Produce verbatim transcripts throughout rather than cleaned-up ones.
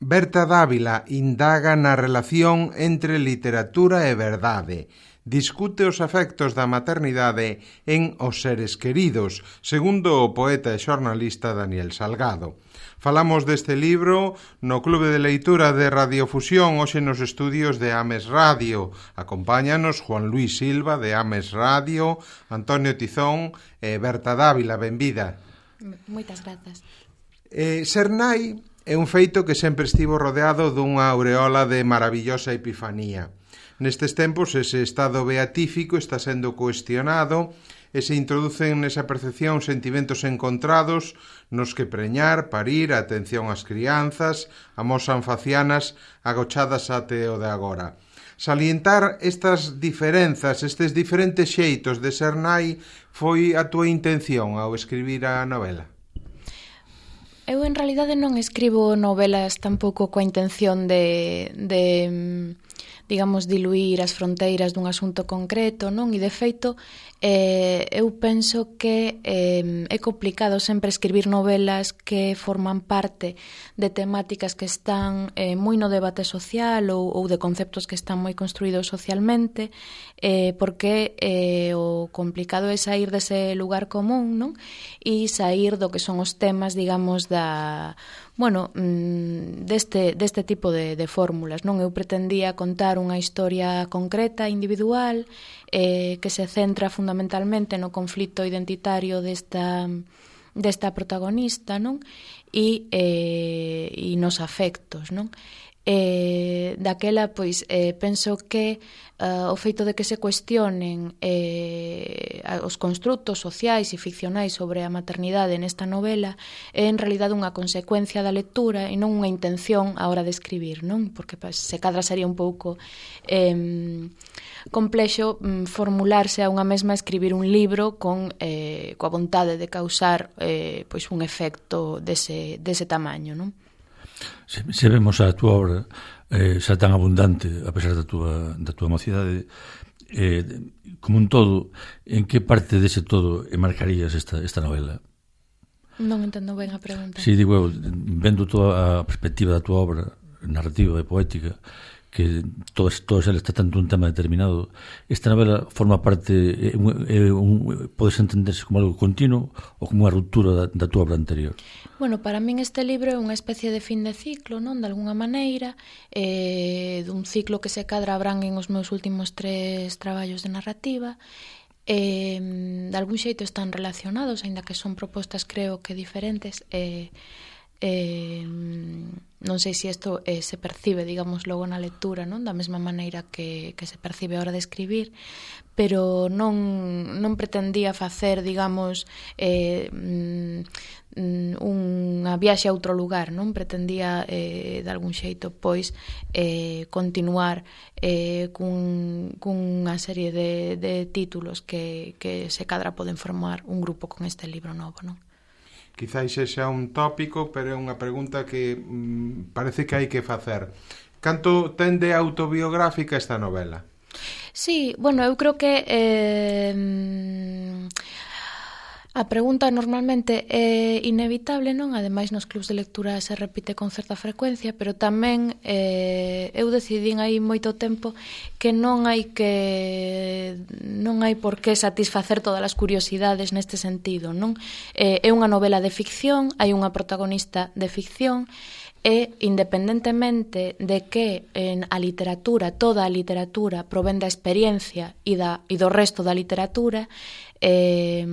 Berta Dávila indaga na relación entre literatura e verdade. Discute os efectos da maternidade en Os seres queridos, segundo o poeta e xornalista Daniel Salgado. Falamos deste libro no Clube de Leitura de Radiofusión, hoxe nos estudios de Ames Radio. Acompáñanos Juan Luis Silva de Ames Radio, Antonio Tizón e Berta Dávila. Benvida. Moitas grazas. Eh, ser nai é un feito que sempre estivo rodeado dunha aureola de maravillosa epifanía. Nestes tempos ese estado beatífico está sendo cuestionado e se introducen nesa percepción sentimentos encontrados nos que preñar, parir, a atención ás crianzas, amosan facianas agochadas até o de agora. Salientar estas diferenzas, estes diferentes xeitos de ser nai, foi a túa intención ao escribir a novela? Eu, en realidade, non escribo novelas tampouco coa intención de, de digamos, diluir as fronteiras dun asunto concreto, non? E, de feito, eh, eu penso que eh, é complicado sempre escribir novelas que forman parte de temáticas que están eh, moi no debate social ou, ou de conceptos que están moi construídos socialmente, eh, porque eh, o complicado é sair dese lugar común, non? E sair do que son os temas, digamos, da... bueno, deste, deste tipo de, de fórmulas, non? Eu pretendía contar unha historia concreta, individual, eh, que se centra fundamentalmente no conflito identitario desta, desta protagonista, non? E, eh, e nos afectos, non? Eh, daquela, pois, eh, penso que uh, o feito de que se cuestionen eh, os construtos sociais e ficcionais sobre a maternidade nesta novela é en realidade unha consecuencia da lectura e non unha intención á hora de escribir, non? Porque pues, se cadra sería un pouco eh, complexo mm, formularse a unha mesma escribir un libro con eh, coa vontade de causar eh, pois un efecto dese, dese tamaño, non? Se, se vemos a túa obra eh, xa tan abundante, a pesar da túa, da túa mocidade, eh, como un todo, en que parte dese todo marcarías esta, esta novela? Non entendo ben a pregunta. Si, digo eu, vendo toda a perspectiva da túa obra narrativa e poética, que todo, todo xa está tanto un tema determinado, esta novela forma parte, é un, é un, podes entenderse como algo continuo ou como unha ruptura da, da túa obra anterior? Bueno, para min este libro é unha especie de fin de ciclo, non? De alguna maneira, eh, dun ciclo que se cadra abranguen os meus últimos tres traballos de narrativa, eh, de algún xeito están relacionados, aínda que son propostas creo que diferentes, e eh, Eh, non sei se isto eh, se percibe, digamos, logo na lectura, non? Da mesma maneira que, que se percibe a hora de escribir, pero non, non pretendía facer, digamos, eh, unha viaxe a outro lugar, non? Pretendía, eh, de algún xeito, pois, eh, continuar eh, cun, cunha serie de, de títulos que, que se cadra poden formar un grupo con este libro novo, non? Quizáis sexa un tópico, pero é unha pregunta que mm, parece que hai que facer. Canto ten de autobiográfica esta novela? Sí, bueno, eu creo que eh, a pregunta normalmente é inevitable, non? Ademais, nos clubs de lectura se repite con certa frecuencia, pero tamén eh, eu decidín aí moito tempo que non hai que non hai por que satisfacer todas as curiosidades neste sentido, non? Eh, é unha novela de ficción, hai unha protagonista de ficción, e independentemente de que en a literatura, toda a literatura provén da experiencia e, da, e do resto da literatura, eh,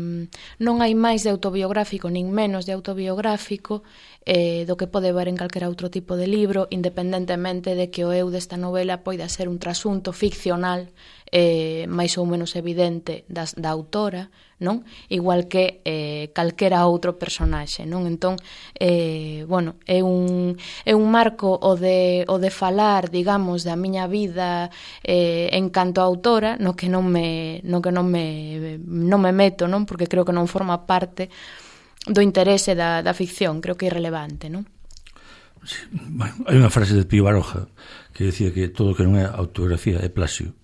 non hai máis de autobiográfico nin menos de autobiográfico eh, do que pode ver en calquera outro tipo de libro, independentemente de que o eu desta novela poida ser un trasunto ficcional eh, máis ou menos evidente das, da autora, non? Igual que eh, calquera outro personaxe, non? Entón, eh, bueno, é un, é un marco o de, o de falar, digamos, da miña vida eh, en canto a autora, no que non me, no que non me, non me meto, non? Porque creo que non forma parte do interese da, da ficción, creo que é irrelevante, non? Sí, bueno, hai unha frase de Pío Baroja que decía que todo o que non é autografía é plagio.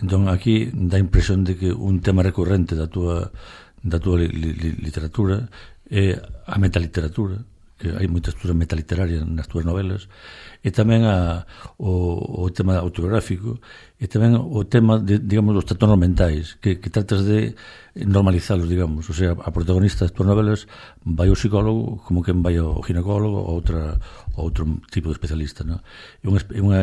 Entón, aquí dá a impresión de que un tema recurrente da túa, da túa li, li, literatura é a metaliteratura, que hai moita estrutura metaliteraria nas túas novelas, e tamén a, o, o tema autobiográfico, e tamén o tema, de, digamos, dos trastornos mentais, que, que tratas de normalizalos, digamos. O sea, a protagonista das túas novelas vai ao psicólogo como que vai ao ginecólogo ou outra, outro tipo de especialista, ¿no? É unha, é unha,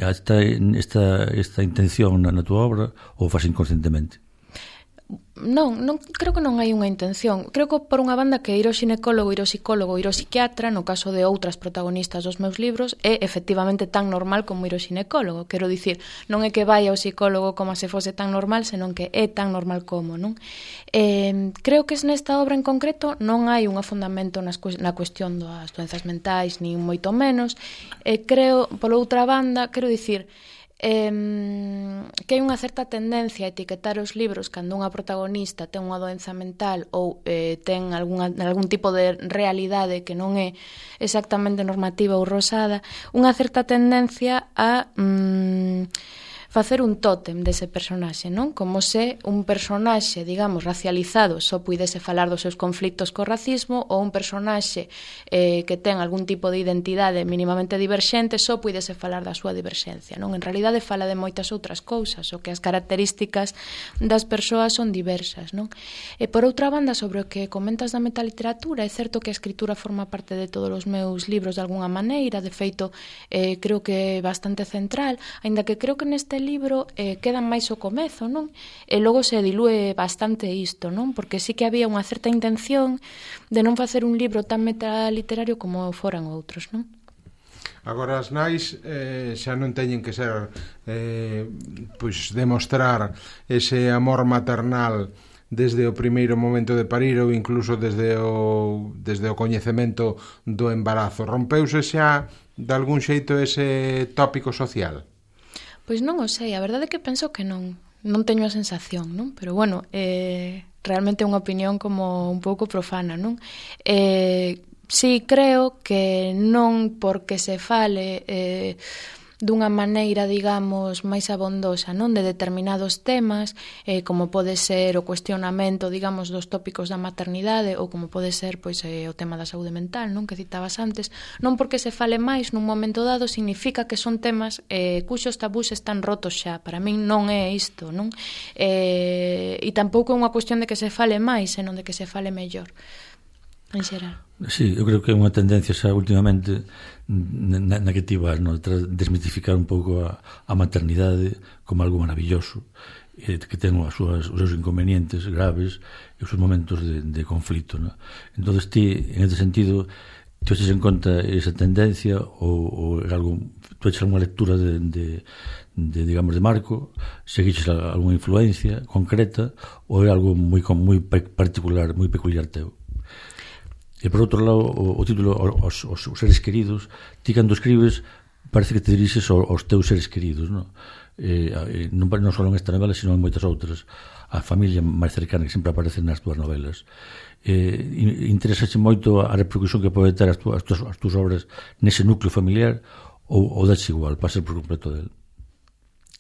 esta, esta, esta intención na, na túa obra ou faz inconscientemente? Non, non, creo que non hai unha intención. Creo que por unha banda que ir ao xinecólogo, ir ao psicólogo, ir ao psiquiatra, no caso de outras protagonistas dos meus libros, é efectivamente tan normal como ir ao xinecólogo. Quero dicir, non é que vai ao psicólogo como se fose tan normal, senón que é tan normal como, non? Eh, creo que nesta obra en concreto non hai un fundamento nas, na cuestión das doenzas mentais, nin moito menos. Eh, creo, por outra banda, quero dicir, Eh, que hai unha certa tendencia a etiquetar os libros cando unha protagonista ten unha doenza mental ou eh, ten alguna, algún tipo de realidade que non é exactamente normativa ou rosada, unha certa tendencia a mm, facer un tótem dese personaxe, non? Como se un personaxe, digamos, racializado só puidese falar dos seus conflitos co racismo, ou un personaxe eh, que ten algún tipo de identidade mínimamente diverxente só puidese falar da súa diverxencia, non? En realidade fala de moitas outras cousas, o que as características das persoas son diversas, non? E por outra banda, sobre o que comentas da metaliteratura, é certo que a escritura forma parte de todos os meus libros de alguna maneira, de feito, eh, creo que é bastante central, aínda que creo que neste libro eh, queda máis o comezo, non? E logo se dilúe bastante isto, non? Porque sí que había unha certa intención de non facer un libro tan metaliterario como foran outros, non? Agora as nais eh, xa non teñen que ser eh, pois demostrar ese amor maternal desde o primeiro momento de parir ou incluso desde o, desde o coñecemento do embarazo. Rompeuse xa de algún xeito ese tópico social? Pois non o sei, a verdade é que penso que non. Non teño a sensación, non? Pero bueno, eh, realmente é unha opinión como un pouco profana, non? Eh, sí, creo que non porque se fale eh, dunha maneira, digamos, máis abondosa, non, de determinados temas, eh, como pode ser o cuestionamento, digamos, dos tópicos da maternidade ou como pode ser, pois, eh, o tema da saúde mental, non, que citabas antes, non porque se fale máis nun momento dado significa que son temas eh, cuxos tabús están rotos xa. Para min non é isto, non? Eh, e tampouco é unha cuestión de que se fale máis, senón de que se fale mellor, en xeral. Sí, eu creo que é unha tendencia xa últimamente na, na que ti vas, no? Desmitificar un pouco a, a maternidade como algo maravilloso, eh, que ten as súas, os seus inconvenientes graves e os seus momentos de, de conflito, no? Entón, ti, en este sentido, ti haces en conta esa tendencia ou, ou algo, tu haces alguna lectura de, de, de, digamos, de marco, seguiches alguna influencia concreta ou é algo moi, moi particular, moi peculiar teu? E por outro lado, o, o título os, os, os seres queridos, ti cando escribes parece que te dirixes aos, aos teus seres queridos, non? Eh, non, non só en esta novela, sino en moitas outras, a familia máis cercana que sempre aparece nas túas novelas. Eh, interésase moito a repercusión que pode ter as túas, as túas, as túas obras nese núcleo familiar ou, ou dache igual, pasa por completo del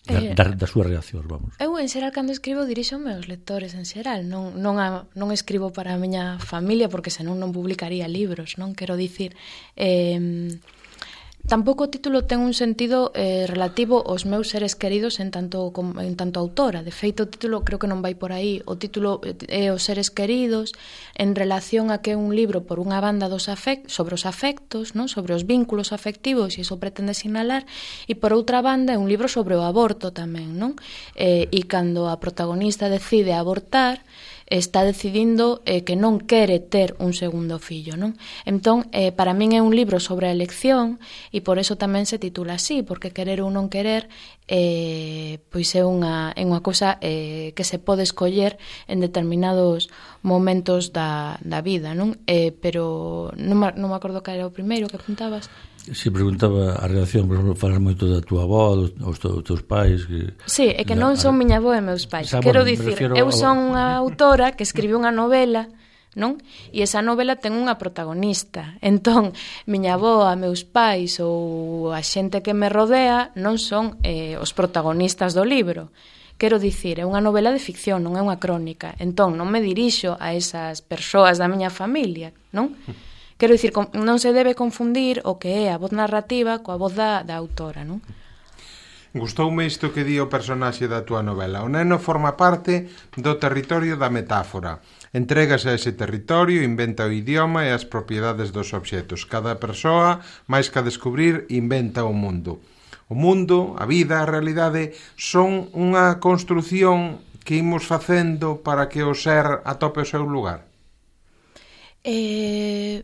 Da, eh, da, da súa reacción, vamos. Eu, en xeral, cando escribo, dirixo meus lectores, en xeral. Non, non, a, non escribo para a miña familia, porque senón non publicaría libros, non? Quero dicir... Eh, tampouco o título ten un sentido eh, relativo aos meus seres queridos en tanto, en tanto autora. De feito, o título creo que non vai por aí. O título é os seres queridos en relación a que é un libro por unha banda dos afect, sobre os afectos, non? Sobre os vínculos afectivos, e iso pretende sinalar, e por outra banda é un libro sobre o aborto tamén, non? Eh, e cando a protagonista decide abortar, está decidindo eh, que non quere ter un segundo fillo, non? Entón, eh, para min é un libro sobre a elección e por eso tamén se titula así, porque querer ou non querer eh, pois é unha, é unha cosa eh, que se pode escoller en determinados momentos da, da vida, non? Eh, pero non me, non me acordo que era o primeiro que apuntabas. Si preguntaba a relación, por exemplo, falas moito da tua avó, dos, dos teus pais que... Sí, é que non son miña avó e meus pais. Xa, Quero bueno, dicir, eu son unha autora que escribiu unha novela, non? E esa novela ten unha protagonista. Entón, miña avó, a meus pais ou a xente que me rodea non son eh, os protagonistas do libro. Quero dicir, é unha novela de ficción, non é unha crónica. Entón, non me dirixo a esas persoas da miña familia, non? quero dicir, non se debe confundir o que é a voz narrativa coa voz da, da autora, non? Gustoume isto que di o personaxe da túa novela. O neno forma parte do territorio da metáfora. Entrégase a ese territorio, inventa o idioma e as propiedades dos obxetos. Cada persoa, máis que a descubrir, inventa o mundo. O mundo, a vida, a realidade, son unha construción que imos facendo para que o ser atope o seu lugar? Eh...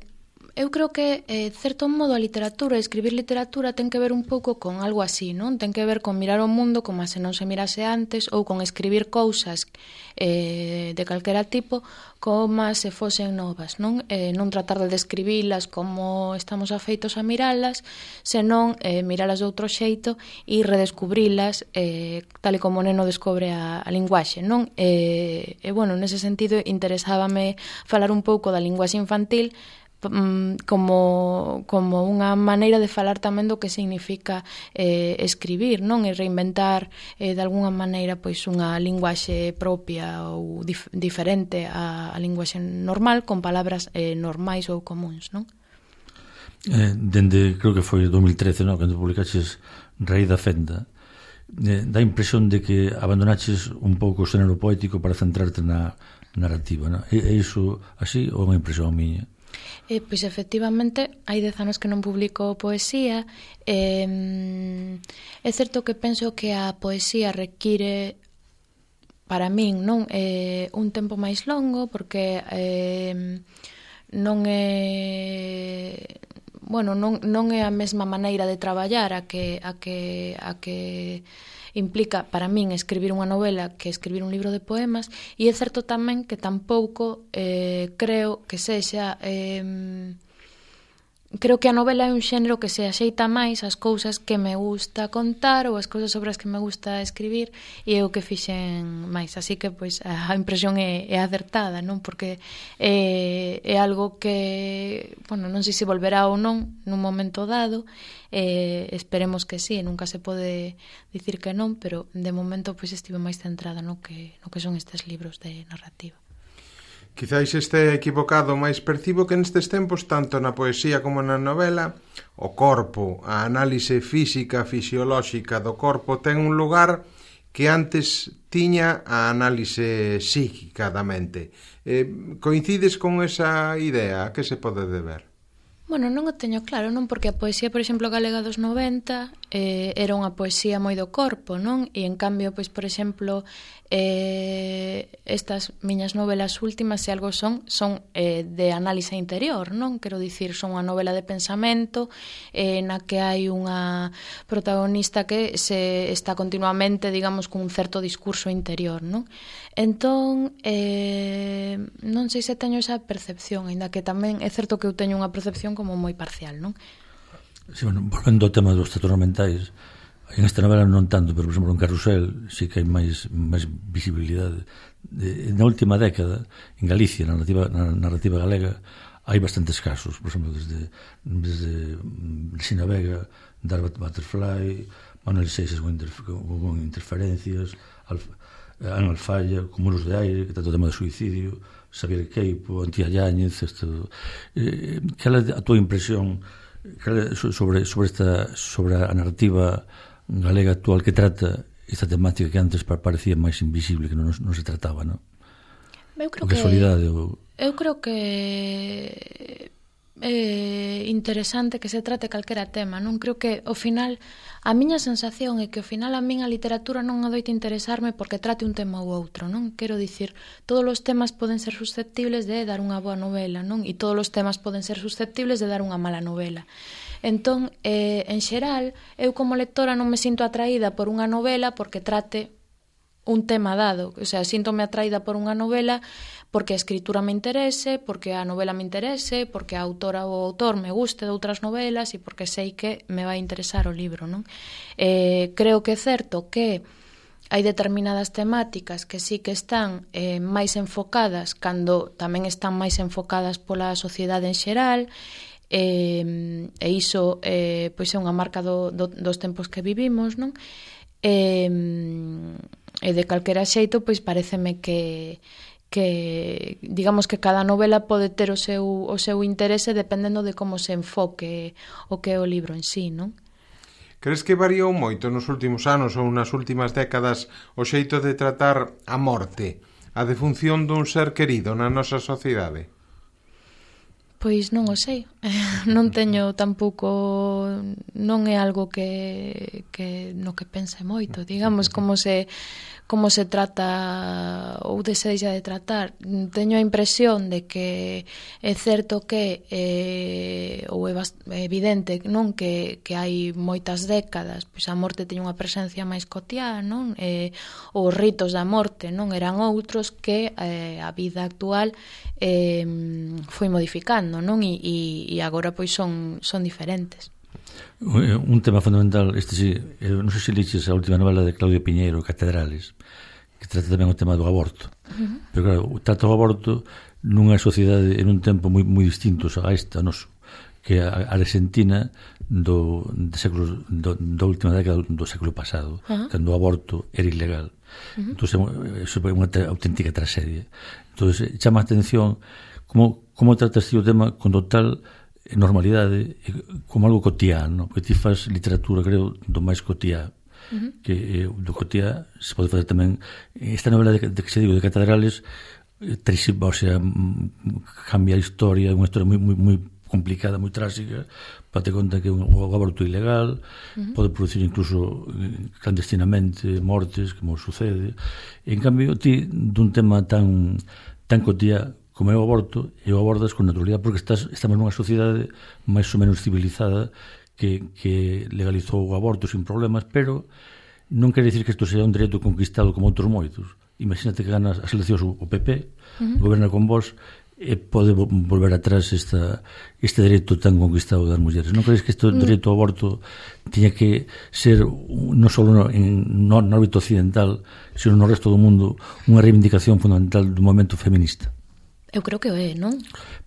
Eu creo que, eh, certo modo, a literatura, escribir literatura ten que ver un pouco con algo así, non? Ten que ver con mirar o mundo como se non se mirase antes ou con escribir cousas eh, de calquera tipo como se fosen novas, non? Eh, non tratar de describilas como estamos afeitos a miralas, senón eh, miralas de outro xeito e redescubrilas eh, tal e como o neno descobre a, a linguaxe, non? E, eh, eh, bueno, nese sentido interesábame falar un pouco da linguaxe infantil como, como unha maneira de falar tamén do que significa eh, escribir, non? E reinventar eh, de alguna maneira pois unha linguaxe propia ou dif diferente á, á linguaxe normal, con palabras eh, normais ou comuns, non? Eh, dende, creo que foi dos mil trece, non? Cando publicaches Raíz da Fenda, eh, dá a impresión de que abandonaches un pouco o xénero poético para centrarte na narrativa, non? É, é iso así ou é unha impresión miña? Eh, pois efectivamente hai dez anos que non publico poesía. eh, é certo que penso que a poesía require para min non eh, un tempo máis longo porque eh, non é bueno, non, non é a mesma maneira de traballar a que, a que, a que implica para min escribir unha novela que escribir un libro de poemas, e é certo tamén que tampouco eh, creo que sexa eh, creo que a novela é un xénero que se axeita máis ás cousas que me gusta contar ou as cousas sobre as que me gusta escribir, e é o que fixen máis, así que pois a impresión é, é acertada, non? Porque é, é algo que, bueno, non sei se volverá ou non nun momento dado, eh, esperemos que sí, nunca se pode dicir que non, pero de momento pois estive máis centrada no que, no que son estes libros de narrativa. Quizáis este equivocado, máis percibo que nestes tempos, tanto na poesía como na novela, o corpo, a análise física, fisiolóxica do corpo ten un lugar que antes tiña a análise psíquica da mente. Eh, coincides con esa idea? A que se pode deber? Bueno, non o teño claro, non? Porque a poesía, por exemplo, galega dos noventa eh, era unha poesía moi do corpo, non? E, en cambio, pois, por exemplo, eh, estas miñas novelas últimas, se algo son, son eh, de análise interior, non? Quero dicir, son unha novela de pensamento eh, na que hai unha protagonista que se está continuamente, digamos, con un certo discurso interior, non? Entón, eh, non sei se teño esa percepción, ainda que tamén é certo que eu teño unha percepción como moi parcial, non? Sí, bueno, volvendo ao tema dos trastornos mentais, en esta novela non tanto, pero, por exemplo, en Carrusel sí que hai máis, máis visibilidade. De, na última década, en Galicia, na narrativa, na narrativa galega, hai bastantes casos, por exemplo, desde, desde Sina Vega, Dark Butterfly, Manuel Seixas con, interf con interferencias, Alfa, Ana Alfalla, con Muros de Aire, que trata o tema do suicidio, Xavier Queipo, Antía Yáñez, isto, eh, cal é a tua impresión cal é sobre, sobre, esta, sobre a narrativa galega actual que trata esta temática que antes parecía máis invisible, que non, non se trataba, non? Eu creo que, que solidade ou... eu creo que é interesante que se trate calquera tema, non? Creo que ao final a miña sensación é que ao final a min a literatura non adoita interesarme porque trate un tema ou outro, non? Quero dicir, todos os temas poden ser susceptibles de dar unha boa novela, non? E todos os temas poden ser susceptibles de dar unha mala novela. Entón, eh, en xeral, eu como lectora non me sinto atraída por unha novela porque trate un tema dado, o sea, síntome atraída por unha novela porque a escritura me interese, porque a novela me interese, porque a autora ou o autor me guste de outras novelas e porque sei que me vai interesar o libro, non? Eh, creo que é certo que hai determinadas temáticas que sí que están eh, máis enfocadas cando tamén están máis enfocadas pola sociedade en xeral, e, e iso eh, pois é unha marca do, do, dos tempos que vivimos, non? E, e de calquera xeito, pois pareceme que que digamos que cada novela pode ter o seu, o seu interese dependendo de como se enfoque o que é o libro en sí, non? Crees que variou moito nos últimos anos ou nas últimas décadas o xeito de tratar a morte, a defunción dun ser querido na nosa sociedade? Pois non o sei, non teño tampouco, non é algo que, que no que pense moito, digamos, como se como se trata ou desexa de tratar. Teño a impresión de que é certo que eh, ou é evidente, non, que, que hai moitas décadas pois a morte teña unha presencia máis cotiá, non? Eh, os ritos da morte non eran outros que eh, a vida actual eh, foi modificando, non? E, e, e agora pois son, son diferentes. Un tema fundamental, este sí, non sei se liches a última novela de Claudio Piñeiro, Catedrales, que trata tamén o tema do aborto. Uh-huh. Pero claro, trata o aborto nunha sociedade en un tempo moi, moi distinto a esta noso, que a Argentina do, de séculos, do, da última década do século pasado, uh-huh. cando o aborto era ilegal. Uh-huh. Entón, eso é unha auténtica tragedia. Entón, chama a atención como, como tratas ti o tema con total normalidade, como algo cotián, porque ti faz literatura, creo, do máis cotiá. Uh-huh. Que eh, do cotiá se pode facer tamén esta novela de, de que se digo de Catedrales, eh, o sea, cambia a historia, é unha historia moi, moi, moi complicada, moi trágica, para te conta que é un, un aborto ilegal, uh-huh. pode producir incluso clandestinamente mortes, como sucede. En cambio, ti dun tema tan tan cotiá como é o aborto, e o abordas con naturalidade porque estás, estamos nunha sociedade máis ou menos civilizada que, que legalizou o aborto sin problemas, pero non quere dicir que isto sea un dereito conquistado como outros moitos. Imagínate que ganas as eleccións o P P, uh-huh. goberna con vos, e pode volver atrás esta, este dereito tan conquistado das mulleres. Non crees que este dereito ao aborto tiña que ser non só no, en, no, no ámbito occidental, sino no resto do mundo unha reivindicación fundamental do movimento feminista? Eu creo que é, non?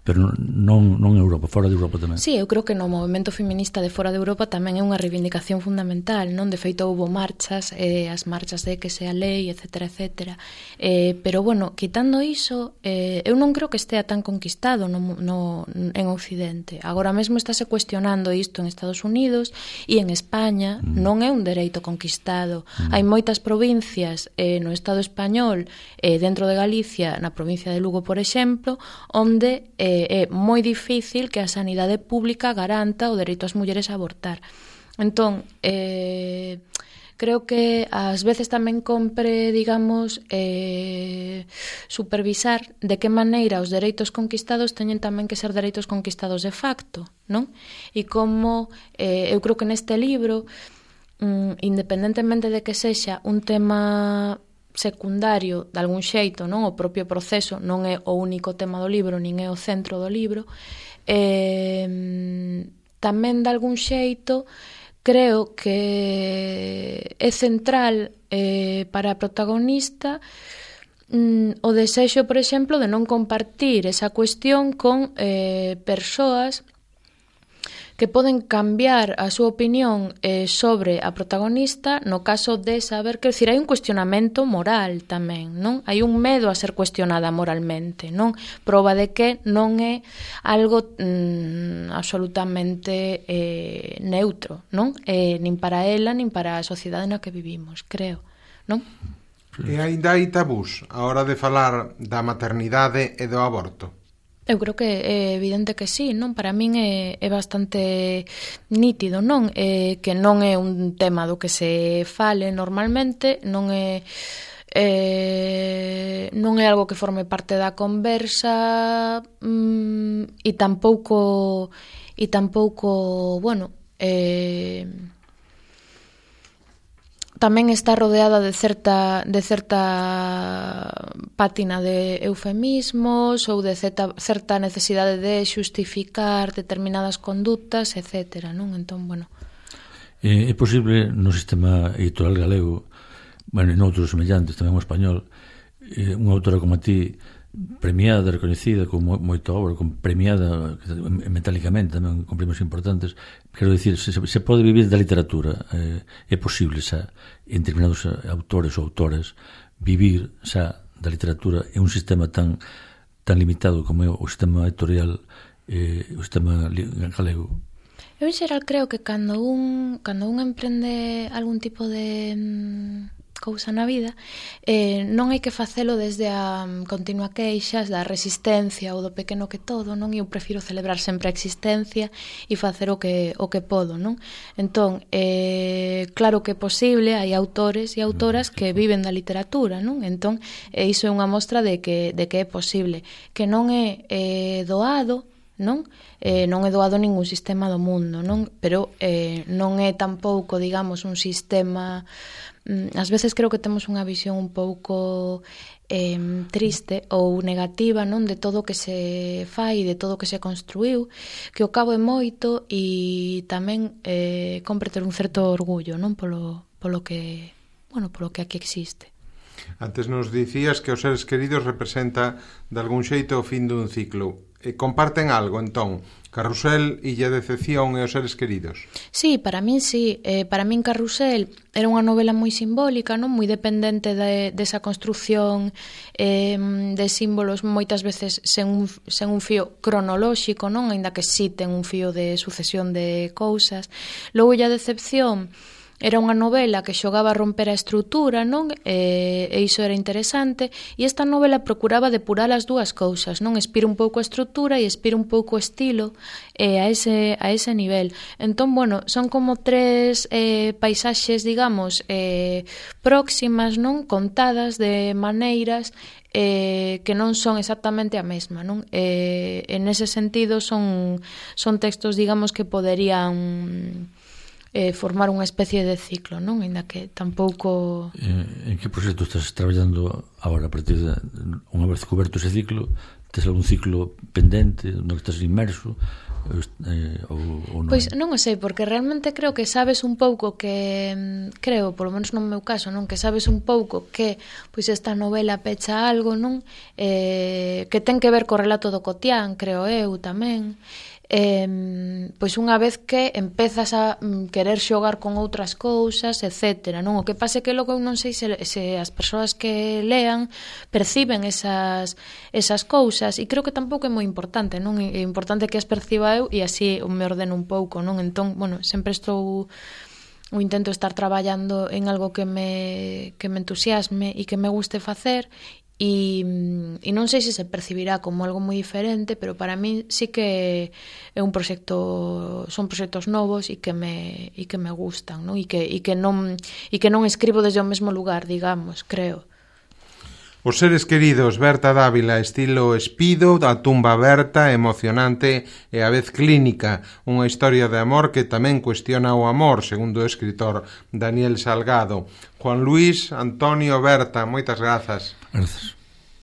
Pero non, non en Europa, fora de Europa tamén. Sí, eu creo que no movimento feminista de fora de Europa tamén é unha reivindicación fundamental, non? De feito, houve marchas, eh, as marchas de que sea lei, etcétera, etcétera. Eh, pero, bueno, quitando iso, eh, eu non creo que estea tan conquistado no, no, en Occidente. Agora mesmo estáse cuestionando isto en Estados Unidos e en España mm. non é un dereito conquistado. Mm. Hai moitas provincias eh, no Estado español, eh, dentro de Galicia, na provincia de Lugo, por exemplo, onde eh, é moi difícil que a sanidade pública garanta o dereito ás mulleres a abortar. Entón, eh, creo que ás veces tamén compre, digamos, eh, supervisar de que maneira os dereitos conquistados teñen tamén que ser dereitos conquistados de facto, non? E como, eh, eu creo que neste libro, mm, independentemente de que sexa un tema secundario de algún xeito, non? O propio proceso non é o único tema do libro, nin é o centro do libro. Eh, tamén de algún xeito creo que é central eh, para a protagonista mm, o desexo, por exemplo, de non compartir esa cuestión con eh, persoas que poden cambiar a súa opinión eh, sobre a protagonista no caso de saber que, decir, hai un cuestionamento moral tamén, non? Hai un medo a ser cuestionada moralmente, non? Proba de que non é algo mm, absolutamente eh, neutro, non? Eh, nin para ela, nin para a sociedade na que vivimos, creo, non? E aínda hai tabús a hora de falar da maternidade e do aborto? Eu creo que é evidente que sí, non? Para min é, é bastante nítido, non? É, que non é un tema do que se fale normalmente, non é eh, non é algo que forme parte da conversa mm, e tampouco e tampouco, bueno, eh, tamén está rodeada de certa de certa pátina de eufemismos ou de certa, certa necesidade de xustificar determinadas condutas, etcétera, non? Entón, bueno. É posible no sistema editorial galego, bueno, en outros semellantes, tamén o español, unha autora como a ti, premiada, reconhecida con moita obra, con premiada metálicamente tamén con premios importantes, quero dicir, se, se pode vivir da literatura, eh, é posible xa, en determinados autores ou autoras vivir xa da literatura é un sistema tan tan limitado como é o sistema editorial, eh, o sistema galego? Eu en xeral creo que cando un cando un emprende algún tipo de mm, cousa na vida, eh, non hai que facelo desde a um, continua queixas da resistencia ou do pequeno que todo, non? Eu prefiro celebrar sempre a existencia e facer o que o que podo, non? Entón, eh, claro que é posible, hai autores e autoras que viven da literatura, non? Entón, eh, iso é unha mostra de que de que é posible, que non é eh, doado, non? Eh, non é doado ningún sistema do mundo, non? Pero eh, non é tampouco, digamos, un sistema... Ás veces creo que temos unha visión un pouco eh, triste ou negativa, non, de todo o que se fai, de todo o que se construiu, que o cabo é moito e tamén eh, compre ter un certo orgullo, non, polo, polo que, bueno, polo que aquí existe. Antes nos dicías que os seres queridos representa de algún xeito o fin dun ciclo. E comparten algo, entón, Carrusel, Illa de Decepción e os seres queridos? Sí, para min sí. Eh, para min Carrusel era unha novela moi simbólica, non, moi dependente de, desa construcción eh, de símbolos moitas veces sen un, sen un fío cronolóxico, non, aínda que sí ten un fío de sucesión de cousas. Logo Illa de Decepción era unha novela que xogaba a romper a estrutura, non? E, e iso era interesante, e esta novela procuraba depurar as dúas cousas, non? Espira un pouco a estrutura e espira un pouco o estilo eh, a, ese, a ese nivel. Entón, bueno, son como tres eh, paisaxes, digamos, eh, próximas, non? Contadas de maneiras eh, que non son exactamente a mesma, non? Eh, en ese sentido son, son textos, digamos, que poderían... Eh, formar unha especie de ciclo, non? Ainda que tampouco... Eh, en que proxecto estás traballando agora a partir de unha vez coberto ese ciclo? Tes algún ciclo pendente no que estás inmerso? Eh, ou, ou non? Pois non o sei, porque realmente creo que sabes un pouco que, creo, polo menos no meu caso, non, que sabes un pouco que pois esta novela pecha algo, non? Eh, que ten que ver co relato do Cotián, creo eu tamén. Eh, pois unha vez que empezas a mm, querer xogar con outras cousas, etcétera, non? O que pasa é que logo non sei se, se as persoas que lean perciben esas, esas cousas, e creo que tampouco é moi importante, non? É importante que as perciba eu e así me ordeno un pouco, non? Entón, bueno, sempre estou ou intento estar traballando en algo que me, que me entusiasme e que me guste facer. E, e non sei se se percibirá como algo moi diferente, pero para mí sí que é un proxecto, son proxectos novos e que me e que me gustan, non? E que e que non e que non escribo desde o mesmo lugar, digamos, creo. Os seres queridos, Berta Dávila, estilo espido, da tumba aberta, emocionante e a vez clínica, unha historia de amor que tamén cuestiona o amor, segundo o escritor Daniel Salgado. Juan Luis, Antonio, Berta, moitas grazas. Grazas.